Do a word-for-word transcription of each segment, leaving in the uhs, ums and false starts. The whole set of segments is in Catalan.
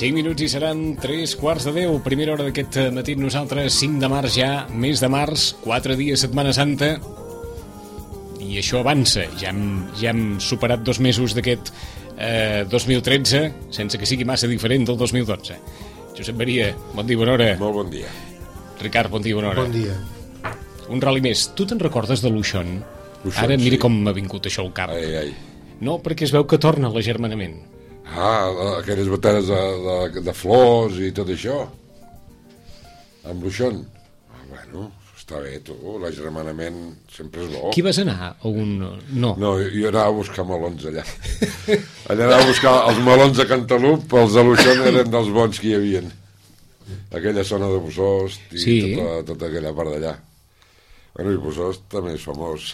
cinc minuts i seran tres quarts de deu. Primera hora d'aquest matí nosaltres, cinc de març ja, mes de març, quatre dies, Setmana Santa. I això avança. Ja hem, ja hem superat dos mesos d'aquest eh, dos mil tretze, sense que sigui massa diferent del dos mil dotze. Josep Maria, bon dia, bona hora. Molt bon dia. Ricard, bon dia, bona hora. Bon dia. Un ral·li més. Tu te'n recordes de l'Uixón? L'Uixón, Ara mira sí. com m'ha vingut això al cap. Ai, ai. No, perquè es veu que torna l'agermanament. Ah, aquelles bateres de, de, de flors i tot això. Amb l'Uixón. Ah, bueno, està bé, tu. L'agermanament sempre és bo. Qui vas anar? A un... No. No, jo anava a buscar melons allà. Allà anava a buscar els melons de Cantalup, els de l'Uixón eren dels bons que hi havia. Aquella zona de Bosost i Sí. tota, tota aquella part d'allà. Bueno, i Bosost també és famós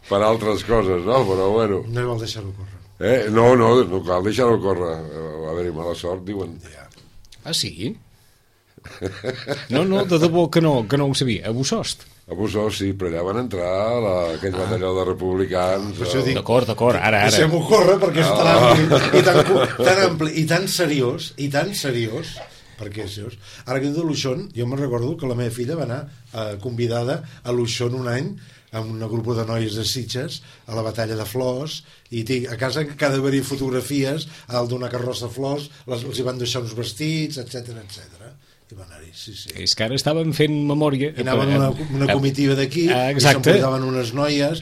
per altres coses, no? Però bueno. No hi vol deixar-ho córrer. Eh? No, no, no cal deixar-ho córrer. Va haver-hi mala sort, diuen. Ah, sí? No, no, de debò que no, que no ho sabia. A Bosost. A Bosost, sí, però allà van entrar la, aquell ah. batalló de republicans. Per això el... dic- D'acord, d'acord, ara, ara. Deixem-ho córrer perquè és tan ampli, i tan, cu- tan ampli i tan seriós, i tan seriós, perquè és seriós. Ara que diu de l'Uixón, jo me'n recordo que la meva filla va anar eh, convidada a l'Uixón un any amb un grup de noies de Sitges a la batalla de flors, i tinc, a casa que ha d'haver-hi fotografies a dalt d'una carrossa de flors, les, els hi van deixar uns vestits, etc etc. I van anar-hi, sí, sí. És que ara estàvem fent memòria. I anaven una, una comitiva d'aquí, Ah, i exacte. s'emportaven unes noies,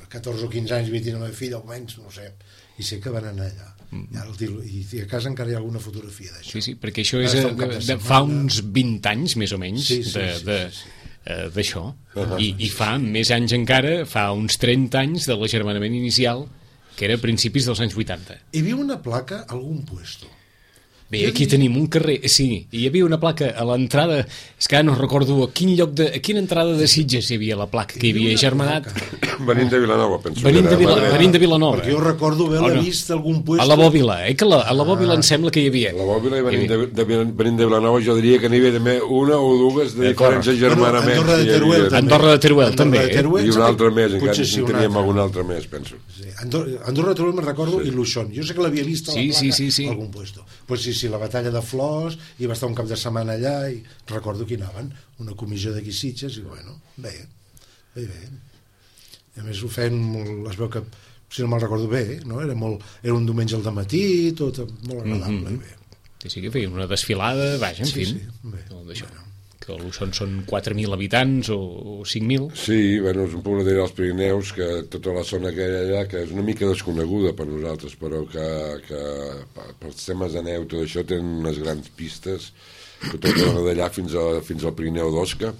catorze o quinze anys, vint i nou fills, almenys, no ho sé, i sé que van anar allà. I, ara el tio, i a casa encara hi ha alguna fotografia d'això. Sí, sí, perquè això és Ara de, fa un cap de, de de, setmana. fa uns vint anys, més o menys, Sí, sí, de, sí, de, sí, sí. eh, d'això. I, I fa més anys encara, fa uns trenta anys de l'agermanament inicial, que era a principis dels anys vuitanta. Hi havia una placa a algun puesto. Bé, aquí tenim un carrer, sí, hi havia una placa a l'entrada, és que ara no recordo a quin lloc de, a quina entrada de Sitges hi havia la placa, que hi havia germanat. Venint de Vilanova, penso. Venint de, Vila, Era- venint de Vilanova. Perquè jo recordo haver-la Oh, no. vist a algun puesto. A la Bòbila, eh, que la, a la Bòbila em sembla que hi havia. A la Bòbila i venint de, de, venint de Vilanova jo diria que n'hi havia també una o dues de D'acord. diferents agermanaments. Bueno, Andorra de que hi havia. Teruel, també. Andorra de Teruel, Andorra també, de eh? Teruel, I un altre més, encara potser sí, en un teníem altre. algun altre més, penso. Sí. Andorra, Andorra de Teruel me'n recordo, sí. I l'Uixón. Jo sé que l'havia vist a la Sí, placa sí, sí, sí. a algun puesto. Pues sí, sí, la batalla de flors, i va estar un cap de setmana allà, i recordo que hi anaven, una comissió d'aquí Sitges, i bueno, bé, bé, bé. I a més ho feien molt, es veu que, si no me'l recordo bé, no? Era, molt, era un diumenge al dematí, tot molt agradable, Mhm. i bé. Sí, sí, que feien una desfilada, vaja, en Sí, fi. sí, bé. Tot això. Que a l'Uixón són quatre mil habitants o, o cinc mil. Sí, bueno, és un poble dels Pirineus, que tota la zona que hi ha allà, que és una mica desconeguda per nosaltres, però que, que pels temes de neu, tot això, tenen unes grans pistes, tota la zona d'allà fins, a, fins al Pirineu d'Osca.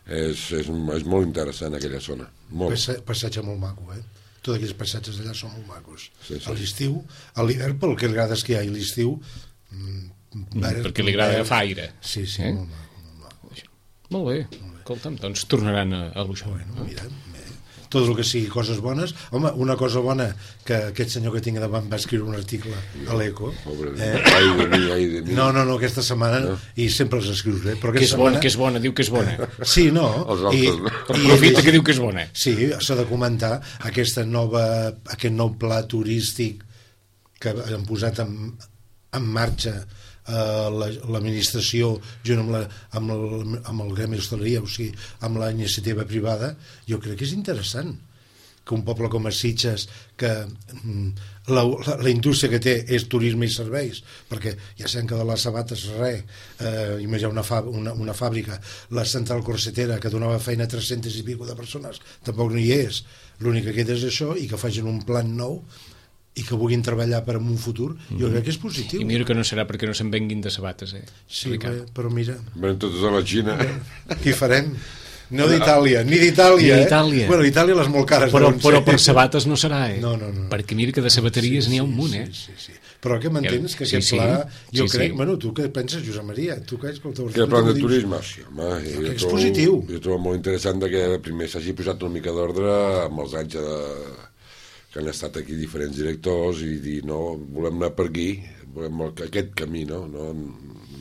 És, és, és molt interessant aquella zona, molt. Passa, passatge molt maco, eh? Tots aquells passatges d'allà són molt macos. Sí, sí. A l'estiu, a l'hivern, pel que li agrada esquiar, i l'estiu... Mm, verd, perquè li agrada verd. agafar aire. Sí, sí, Eh? molt maco, molt maco. Molt bé, escolta'm, doncs tornaran a, a l'Uixón. Bueno, mira, bé. Tot el que sigui coses bones. Home, una cosa bona, que aquest senyor que tinc davant va escriure un article a l'Eco. Pobre, Eh? ai de mi, ai de mi. No, no, no, aquesta setmana, no. I sempre els escrius bé, però Que és aquesta bona, setmana... que és bona, diu que és bona. Sí, no. Els altres, no? Però aprofita que diu que és bona. Sí, s'ha de comentar aquesta nova, aquest nou pla turístic que han posat en, en marxa eh, la- l'administració junt amb, la, amb, el, amb el gremi d'hostaleria, o sigui, amb la iniciativa privada. Jo crec que és interessant que un poble com a Sitges, que mm, la, la, la indústria que té és turisme i serveis, perquè ja sabem que de les sabates res, eh, imagina una, fa, una, una fàbrica, la central corsetera, que donava feina a tres-centes i pico de persones, tampoc no hi és. L'únic que queda és això, i que facin un plan nou i que vulguin treballar per en un futur, jo crec que és positiu. I mira que no serà perquè no se'n venguin de sabates, eh? Sí, Ricard. bé, però mira, Venen totes a la Xina. què farem? No d'Itàlia, ni d'Itàlia, Ni eh? d'Itàlia. Bueno, Itàlia les molt cares. Però, deuen però ser. per sabates no serà, eh? No, no, no. Perquè mira que de sabateries Sí, n'hi ha un sí, munt, sí, eh? Sí, sí. Però que m'entens que Sí, aquest sí. pla, jo Sí, crec, sí. bueno, tu què penses, Josep Maria? Tu que ets com Que el plan de turisme, sí, home, Jo jo, crec que és trobo, positiu. jo trobo molt interessant de que primer s'hagi posat una mica d'ordre amb els anys de, que han estat aquí diferents directors i dir, no, volem anar per aquí, volem aquest camí, no, no,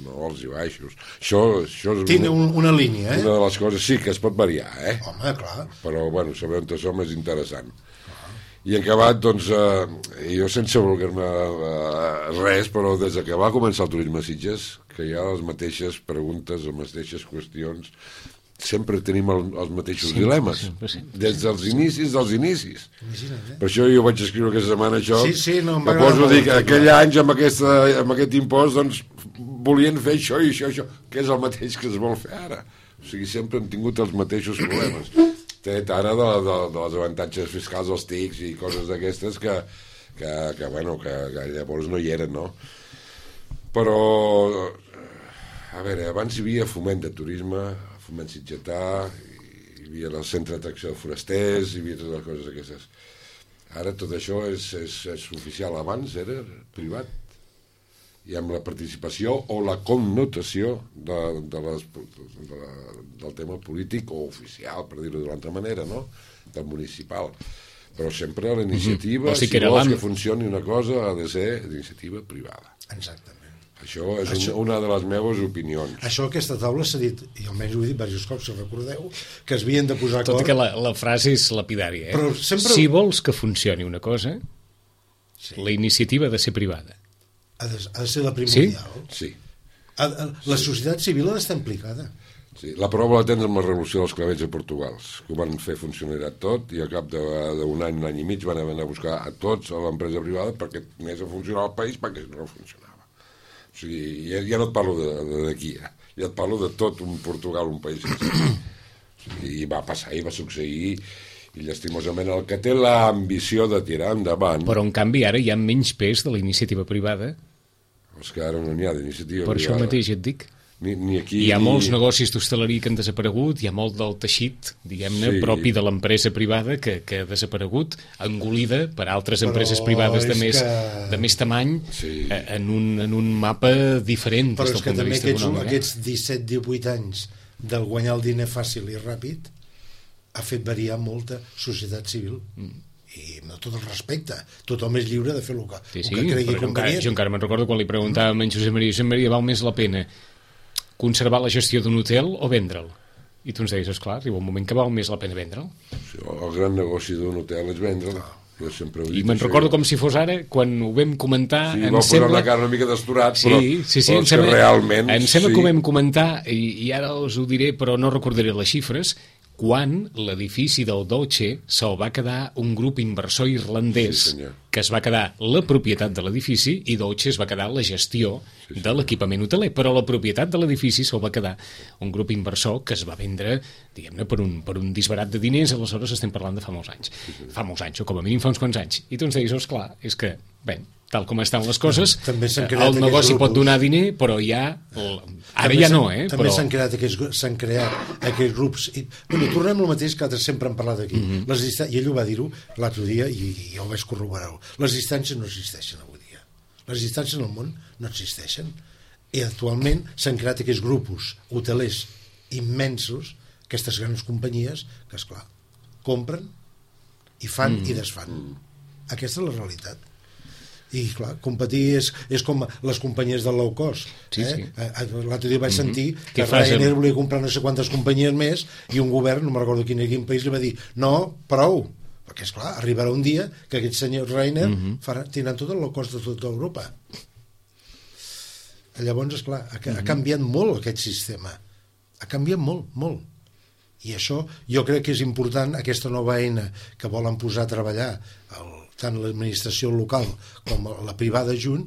no alts i baixos. Això, això és Tiene una, un, una línia, eh? una de les coses, sí, que es pot variar, eh? Home, clar. Però, bueno, saber on som és interessant. I en acabat, doncs, eh, jo sense voler-me eh, res, però des que va començar el turisme a Sitges, que hi ha les mateixes preguntes, les mateixes qüestions, sempre tenim el, els mateixos sempre, dilemes, sempre, sempre, des dels inicis dels inicis. Imagina't, eh? Per això jo vaig escriure aquesta setmana això, sí, sí, no, que poso a dir que aquell any amb, aquesta, amb aquest impost doncs, volien fer això i això, això, que és el mateix que es vol fer ara. O sigui, sempre hem tingut els mateixos problemes. Tret ara de, de, de les avantatges fiscals, els tics i coses d'aquestes que, que, que, bueno, que, que llavors no hi eren, no? Però, a veure, abans hi havia foment de turisme, foment sitgetà, hi havia el centre d'atracció de forasters, hi havia totes les coses aquestes. Ara tot això és, és, és oficial, abans era privat. I amb la participació o la connotació de, de les, de la, del tema polític o oficial, per dir-ho d'una altra manera, no? Del municipal. Però sempre la iniciativa, mm-hmm. o sigui si vols que funcioni una cosa, ha de ser d'iniciativa privada. Exactament. Això és això, una de les meves opinions. Això aquesta taula s'ha dit, i almenys ho he dit diversos cops, si recordeu, que es havien de posar acord... Tot que la, la frase és lapidària, eh? Però sempre... Si vols que funcioni una cosa, sí. La iniciativa ha de ser privada. Ha de, ha de ser la primordial. Sí. Ha, ha, la sí. societat civil ha d'estar implicada. Sí. La prova la tens amb la revolució dels clavells a Portugal, que ho van fer funcionar tot i a cap d'un any, un any i mig van anar a buscar a tots a l'empresa privada perquè anés a funcionar el país perquè no funcionava. O sigui, ja, ja no et parlo d'aquí, ja. ja et parlo de tot un Portugal, un país. O sigui, i va passar, i va succeir, i llastimosament el que té l'ambició de tirar endavant... Però en canvi ara hi ha menys pes de la iniciativa privada. És que ara no n'hi ha d'iniciativa privada. Per això mateix et dic. Ni, ni aquí, hi ha ni... molts negocis d'hostaleria que han desaparegut, hi ha molt del teixit, diguem-ne, sí. propi de l'empresa privada que, que ha desaparegut, engolida per altres Però empreses privades de més, que... de més tamany, sí. en, un, en un mapa diferent Però des del punt de vista aquests, econòmic. Però és que també aquests disset divuit anys del guanyar el diner fàcil i ràpid ha fet variar molta societat civil. Mm. I amb tot el respecte, tothom és lliure de fer el que, sí, sí, el que cregui convenient. Encara, jo encara me'n recordo quan li preguntàvem a en Josep Maria, Josep Maria, val més la pena conservar la gestió d'un hotel o vendre'l? I tu ens deies, esclar, arriba un moment que val més la pena vendre'l. Sí, el gran negoci d'un hotel és vendre'l. Jo sempre ho he dit. I me'n recordo com si fos ara, quan ho vam comentar... Sí, va posar la cara una mica desturat, sí, però, sí, sí, però em sembla, realment... Em sembla sí. que ho vam comentar, i, i ara us ho diré, però no recordaré les xifres, quan l'edifici del Dolce se'l va quedar un grup inversor irlandès sí, que es va quedar la propietat de l'edifici i Dolce es va quedar la gestió sí, de l'equipament hoteler, però la propietat de l'edifici se'l va quedar un grup inversor que es va vendre, diguem-ne, per un, per un disbarat de diners, aleshores estem parlant de fa molts anys. Sí, sí. Fa molts anys, o com a mínim fa uns quants anys. I tu ens deies, esclar, és que, bé, tal com estan les coses, el negoci pot donar diner, però ja... El... Ara també ja no, eh? També però... s'han creat aquests, s'han creat aquests grups... I, bueno, tornem al mateix que altres sempre han parlat aquí. Mm -hmm. Les distàncies, i ell ho va dir-ho l'altre dia, i, i jo ho vaig corroborar. Les distàncies no existeixen avui dia. Les distàncies en el món no existeixen. I actualment s'han creat aquests grups hotelers immensos, aquestes grans companyies, que, esclar, compren i fan mm -hmm. i desfan. Aquesta és la realitat. I clar, competir és, és com les companyies del low cost, sí, eh? sí. L'altre dia vaig sentir mm-hmm. que Ryanair volia comprar no sé quantes companyies més i un govern, no me'n recordo quin, quin país, li va dir no, prou, perquè esclar, arribarà un dia que aquests senyors Ryanair mm-hmm. faran, tindran tot el low cost de tota Europa. Llavors, esclar, ha, mm-hmm. ha canviat molt aquest sistema, ha canviat molt, molt, i això jo crec que és important, aquesta nova eina que volen posar a treballar el tant l'administració local com la privada junt,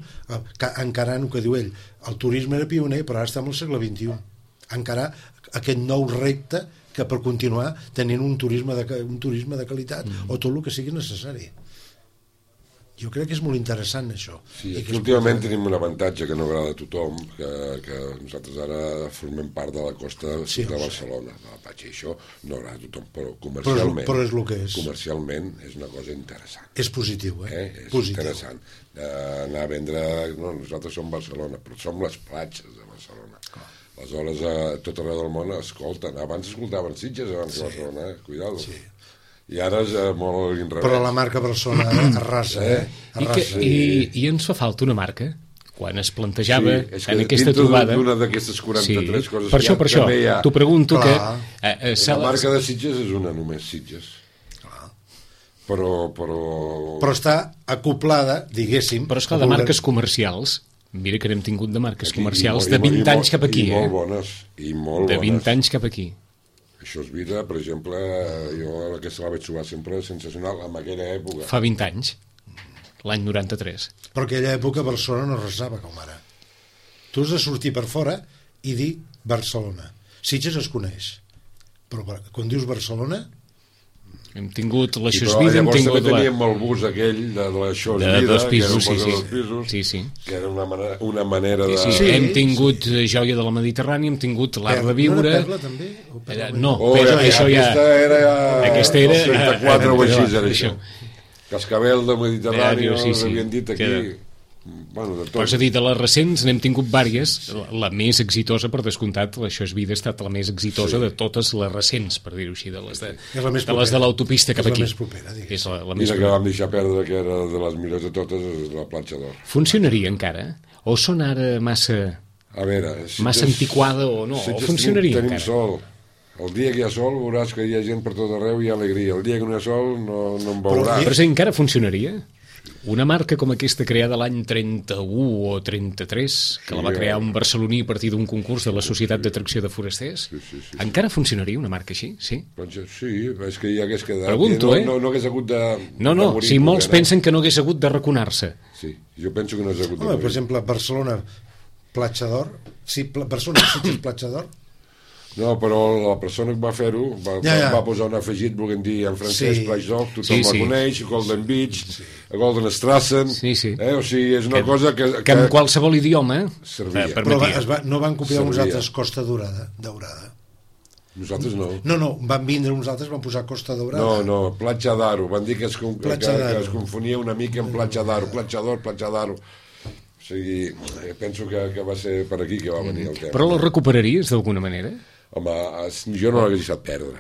encarant el que diu ell, el turisme era pioner, però ara estem al segle vint-i-u, encarar aquest nou repte que per continuar tenint un turisme de, un turisme de qualitat mm. o tot el que sigui necessari. Jo crec que és molt interessant això. Sí, I que últimament és... tenim un avantatge que no agrada a tothom, que, que nosaltres ara formem part de la costa sí, de Barcelona, de la platja, i això no agrada a tothom, però comercialment, però és, però és el que és. comercialment és una cosa interessant. És positiu, eh? eh? És positiu. interessant. Uh, anar a vendre... No, nosaltres som Barcelona, però som les platges de Barcelona. Clar. Aleshores, a tot arreu del món escolten. Abans escoltaven Sitges, abans sí. que Barcelona, eh? Cuidado. Sí. I ara és uh, molt inrevés. Però la marca Barcelona arrasa, eh? Arrasa. I, que, i, I ens fa falta una marca? Quan es plantejava sí, en aquesta trobada... d'una d'aquestes quaranta-tres sí, coses per això, per això, ha... t'ho pregunto. Clar. Que... Eh, eh, la marca de Sitges és una, només Sitges. Clar. però... Però, però està acoplada, diguéssim... Però esclar, de marques comercials, mira que n'hem tingut de marques aquí, comercials i, de vint i, anys cap aquí, i eh? molt bones, i molt de vint bones. anys cap aquí. Això és vida, per exemple, jo aquesta la vaig trobar sempre sensacional en aquella època. Fa vint anys, l'any noranta-tres. Però aquella època Barcelona no resava com ara. Tu has de sortir per fora i dir Barcelona. Sitges es coneix, però quan dius Barcelona... Hem tingut la I Xosvida, hem llavors tingut també la... teníem el bus aquell de la Xosvida, de dos pisos, que sí, era sí. dos pisos, sí, sí. que era una manera, una manera Sí, de... sí. Sí, hem tingut sí. Joia de la Mediterrània, hem tingut l'Art de No Viure... era Perla, també? O Perla, Era, no, Oh, però ja, això ja... aquesta era... Aquesta era... El trenta-quatre o així era això. això. Cascabel de Mediterrani, Sí, sí. havien dit aquí... Queda. Bueno, de Però és a tot. dir, de les recents n'hem tingut vàries, la, la més exitosa, per descomptat, l'Això és vida ha estat la més exitosa Sí. de totes les recents, per dir-ho així, de les de, És la més de, les de propera. l'autopista cap És la aquí. més propera, diguéssim. És la, la I més la que propera. vam deixar perdre, que era de les millors de totes, és la platja d'Or. Funcionaria encara? O són ara massa, A veure... Si massa tens- antiquada o no? si O tens- funcionaria tenim, tenim encara? sol. El dia que hi ha sol veuràs que hi ha gent per tot arreu i hi ha alegria. El dia que no hi ha sol no, no en veuràs. Però si encara funcionaria? Una marca com aquesta creada l'any trenta-u o trenta-tres, que Sí, la va crear eh? un barceloní a partir d'un concurs de la Societat d'Atracció de Forasters, Sí, sí, sí, sí. encara funcionaria una marca així? Sí? Platja- Sí, és que hi hagués quedat. Pregunto, no, eh? No, no hagués hagut de... No, no, de morir si molts propera. pensen que no hagués hagut de raconar-se. Sí, jo penso que no hagués hagut de Home, morir. per exemple, Barcelona, Platja d'Or... Sí, Pla- Barcelona, Sitges, Platja d'Or... No, però la persona que va fer-ho va, Ja, ja. va posar un afegit, volent dir en francès, Sí. sí. Platja d'Or, tothom Sí, sí, sí. la coneix, Golden Beach, sí. Golden Strassen, Sí, sí. Eh? O sigui, és una Que- cosa que... Que en qualsevol idioma Servia. eh, Però va, permetia. es va, no van copiar uns Servia. altres Costa Daurada, Daurada. Nosaltres no. No, no, van vindre uns altres, van posar Costa Daurada. No, no, Platja d'Aro. Van dir que es, que, Platja que, d'Aro. es confonia una mica amb Platja d'Aro. Platja d'Or, Platja d'Aro. O sigui, eh, penso que, que va ser per aquí que va venir el tema. Però la recuperaries d'alguna manera? Home, es- jo no l'hagués deixat perdre.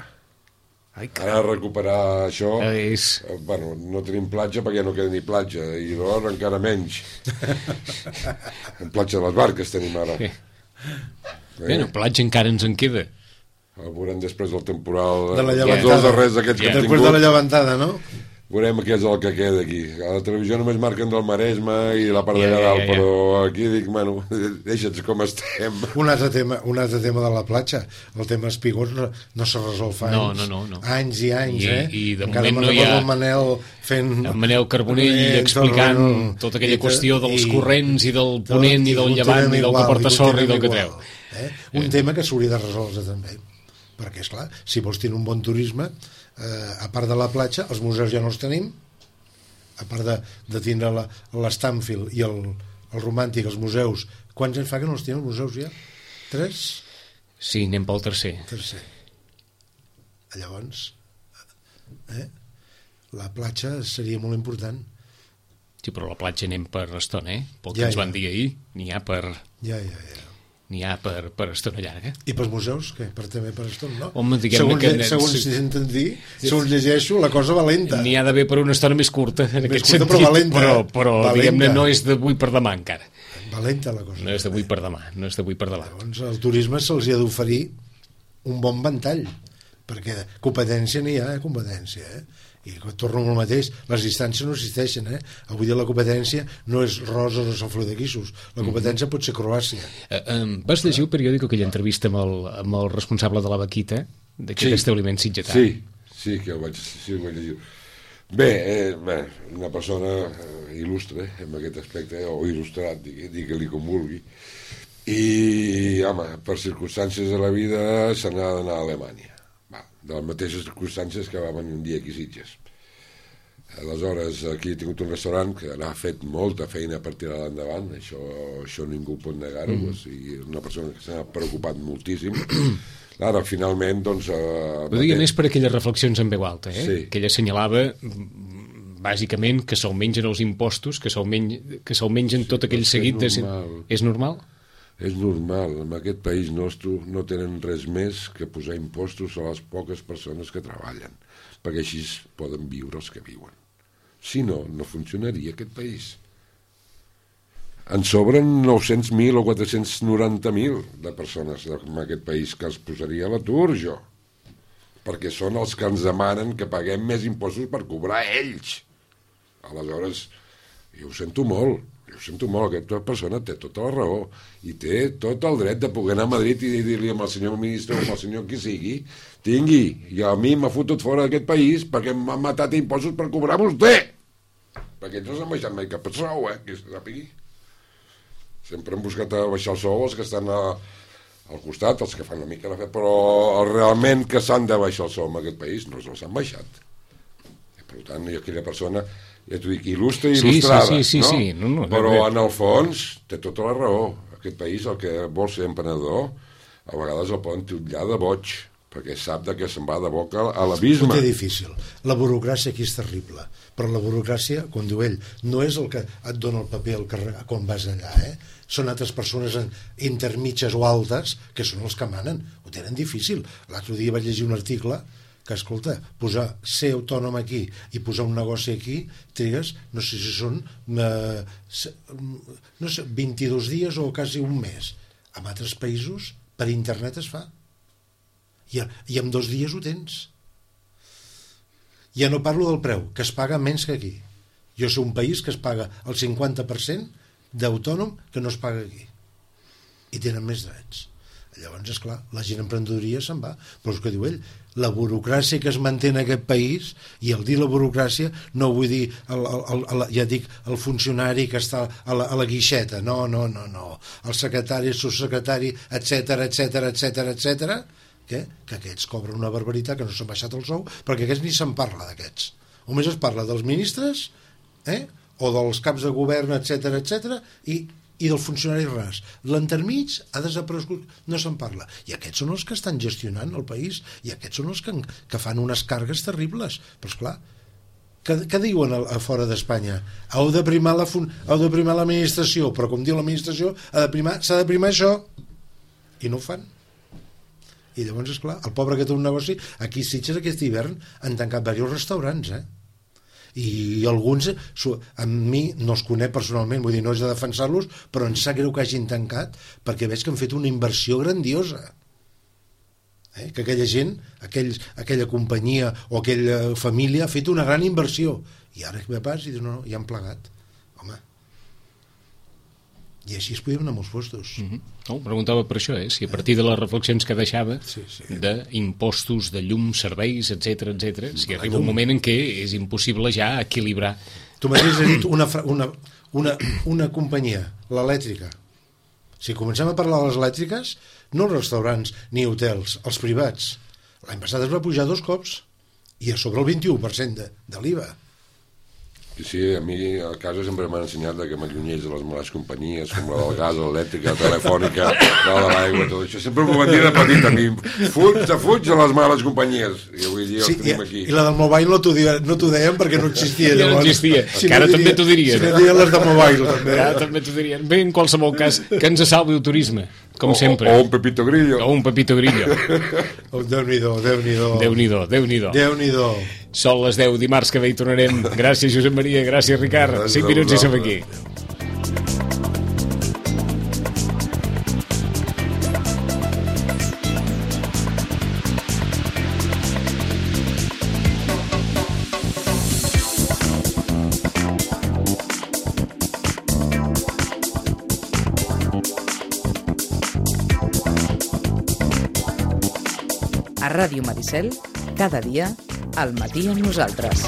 Ai, Ara recuperar això... Eh, és... eh, Bueno, no tenim platja perquè no queda ni platja, i l'or encara menys. En platja de les barques tenim ara. Sí. Eh? Bueno, platja encara ens en queda. El veurem després del temporal. De la els llevantada. dos darrers aquests que Ja. hem Després de la tingut. llevantada, no? Veurem què és el que queda aquí. A la televisió només marquen del Maresme i la part Ja, de ja, dalt, ja, ja. però aquí dic, bueno, deixa'ns com estem. Un altre tema, un altre tema de la platja, el tema espigons no, no se resol fa No, anys. no, no, no. Anys i anys, I- eh? i de Encara moment me'n no hi ha- recordo el Manel fent... En Manel Carbonell Eh, explicant tot el- tota aquella i tot- qüestió dels i- corrents i del tot- ponent i del continuem llevant i del igual, que porta sorra i del que continuem treu. igual, Eh? Un tema que s'hauria de resoldre també, perquè, és clar, si vols tenir un bon turisme, eh, a part de la platja, els museus ja no els tenim, a part de, de tindre la- l'Stanfield i el, el Romàntic, els museus, quants anys fa que no els tenen els museus ja? Tres? Sí, anem pel tercer. Tercer. Llavors, eh? la platja seria molt important. Sí, però a la platja anem per estona, eh? Pel que Ja, ens ja. van dir ahir, n'hi ha per... Ja, ja, ja. N'hi ha per, per estona llarga. I pels museus, què? Per també per estona, no? Home, diguem-ne segons, que- lle- segons si senten dir, segons llegeixo, la cosa va lenta. N'hi ha d'haver per una estona més curta, en Més aquest curta, sentit, però valenta, però, eh? però Valenta. diguem-ne, no és d'avui per demà encara. Va lenta la cosa. No és d'avui per demà, no és d'avui per demà. Llavors, al turisme se'ls hi ha d'oferir un bon ventall, perquè competència n'hi ha, eh? Competència, eh? I torno al mateix, les distàncies no existeixen, eh? Avui dia la competència no és roses o Sant Feliu de Guíxols, la competència pot ser Croàcia. Eh, eh, vas llegir el periòdic aquella entrevista amb el, amb el responsable de la Vaquita, d'aquest Sí. establiment sitgetà? Sí, sí que ho vaig, sí, ho vaig llegir. Bé, eh, bé, una persona eh, il·lustre en aquest aspecte, o il·lustrat, digui- digue-li com vulgui, i, home, per circumstàncies de la vida se n'ha d'anar a Alemanya. Va, de les mateixes circumstàncies que va venir un dia aquí a Sitges. Aleshores, aquí he tingut un restaurant que ha fet molta feina per tirar endavant, això, això ningú pot negar-ho, mm. o sigui, una persona que s'ha preocupat moltíssim. Ara, finalment, doncs... Eh, Ho deia més per aquelles reflexions en veu alta, eh? Sí. Que ella assenyalava mm, bàsicament que se'l mengen els impostos, que se'l mengen, que se'l mengen tot aquell és seguit de... normal. És normal? És normal, en aquest país nostre no tenen res més que posar impostos a les poques persones que treballen, perquè així poden viure els que viuen. Si no, no funcionaria aquest país. En sobren nou-cents mil o quatre-cents noranta mil de persones en aquest país que els posaria a l'atur, jo. perquè són els que ens demanen que paguem més impostos per cobrar ells. Aleshores, jo ho sento molt, jo ho sento molt, aquesta persona té tota la raó i té tot el dret de poder anar a Madrid i dir-li al senyor ministre o al senyor qui sigui, tingui, i a mi m'ha fotut fora d'aquest país perquè m'han matat impostos per cobrar vostè, perquè ells no s'han baixat mai cap sou, eh, que se sàpigui. Sempre han buscat a baixar el sou els que estan a, al costat, els que fan una mica la fe, però realment que s'han de baixar el sou en aquest país no s'han baixat. I, per tant, i aquella persona, ja t'ho dic, il·lustre i sí, il·lustrada, sí, sí, no? Sí, no, no, però no, no. en el fons té tota la raó. Aquest país, el que vol ser emprenedor, a vegades el poden titllar de boig, perquè sap de què se'n va de boca a l'abisme. Ho té difícil. La burocràcia aquí és terrible, però la burocràcia, com diu ell, no és el que et dona el paper al carrer quan vas allà, eh? Són altres persones intermitges o altes que són els que manen. Ho tenen difícil. L'altre dia vaig llegir un article que, escolta, posar ser autònom aquí i posar un negoci aquí, trigues, no sé si són eh, no sé, vint-i-dos dies o quasi un mes. En altres països, per internet es fa. I, i en dos dies ho tens. Ja no parlo del preu, que es paga menys que aquí. Jo sé un país que es paga el cinquanta per cent d'autònom que no es paga aquí. I tenen més drets. Llavors, esclar, la gent emprenedoria se'n va. Però és que diu ell, la burocràcia que es manté en aquest país, i al dir la burocràcia no vull dir, el, el, el, ja dic, el funcionari que està a la, a la guixeta, no, no, no, no. El secretari, el subsecretari, etcètera, etcètera, etcètera, etcètera, que, que aquests cobren una barbaritat, que no s'han baixat el sou, perquè aquests ni se'n parla d'aquests. Només es parla dels ministres, eh? O dels caps de govern, etcètera, etcètera, i, i del funcionari ras. L'entermig ha desaparegut, no se'n parla. I aquests són els que estan gestionant el país, i aquests són els que, que fan unes cargues terribles. Però, esclar, què, què diuen a, a fora d'Espanya? Heu de primar la fun, heu de primar l'administració, però com diu l'administració, s'ha de primar, s'ha de primar això. I no ho fan. I llavors, esclar, el pobre que té un negoci, aquí a Sitges aquest hivern han tancat diversos restaurants, eh? I alguns, a mi no els conec personalment, vull dir, no és de defensar-los, però em sap greu que hagin tancat perquè veig que han fet una inversió grandiosa, eh? Que aquella gent, aquells, aquella companyia o aquella família ha fet una gran inversió, i ara que ve pas i diu, no, no, ja han plegat, home, i així es podien anar molts postos. Mm-hmm. No, preguntava per això, eh? Si a partir de les reflexions que deixava, sí, sí, d'impostos, de llum, serveis, etcètera, etcètera, si arriba un moment en què és impossible ja equilibrar. Tu mateix has dit una, una, una, una companyia, l'elèctrica. Si comencem a parlar de les elèctriques, no els restaurants ni hotels, els privats. L'any passat es va pujar dos cops i a sobre el vint-i-u per cent de, de l'I V A. Sí, sí, a mi a casa sempre m'han ensenyat que m'allunyés de les males companyies, com la del gas, l'elèctrica, la telefònica, la de l'aigua, tot això. Sempre m'ho van dir de petit a mi. Fuig, te fuig de les males companyies. I avui dia sí, els tenim aquí. I la del mobile no t'ho no deien perquè no existia. Ja no existia, si que ara no també t'ho dirien. Si no dirien les de mobile, també. Ara també t'ho dirien. Bé, en qualsevol cas, que ens salvi el turisme, com o, sempre. O un Pepito Grillo. O un Pepito Grillo. Oh, Déu-n'hi-do, Déu-n'hi-do. Déu-n'hi-do, Déu-n'hi-do. Déu-n'hi-do. Són les deu, dimarts que ve hi tornarem. Gràcies, Josep Maria, gràcies, Ricard. Cinc minuts i som aquí. A Ràdio Maricel, cada dia, al matí amb nosaltres.